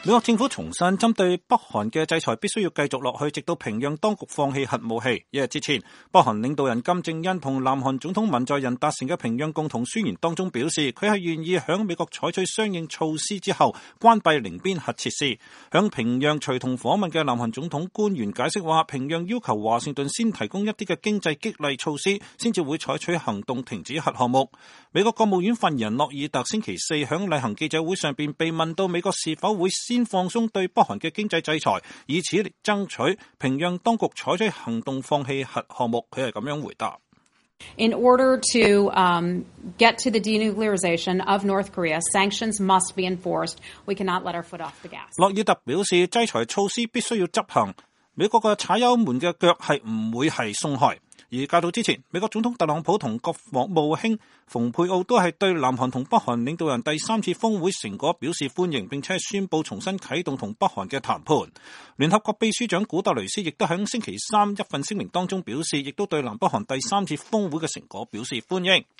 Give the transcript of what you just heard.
美國政府重申，針對北韓嘅制裁必須要繼續落去，直到平壤當局放棄核武器。一日之前，北韓領導人金正恩同南韓總統文在寅達成嘅平壤共同宣言當中表示，佢係願意響美國採取相應措施之後關閉寧邊核設施。響平壤隨同訪問嘅南韓總統官員解釋話，平壤要求華盛頓先提供一啲嘅經濟激勵措施，先至會採取行動停止核項目。美國國務院發言人諾爾特星期四響例行記者會上邊被問到美國是否會先放鬆對北韓嘅經濟制裁，以此嚟爭取平壤當局採取行動放棄核項目，佢係咁樣回答。In order to get to the denuclearization of North Korea, sanctions must be enforced. We cannot let our foot off the gas. 諾爾特表示，制裁措施必須要執行，美國嘅踩油門嘅腳係唔會係鬆開。而較早之前，美國總統特朗普同國防務卿蓬佩奧都係對南韓同北韓領導人第三次峰會成果表示歡迎，並且宣布重新啟動同北韓嘅談判。聯合國秘書長古特雷斯亦都喺星期三一份聲明當中表示，亦都對南北韓第三次峰會嘅成果表示歡迎。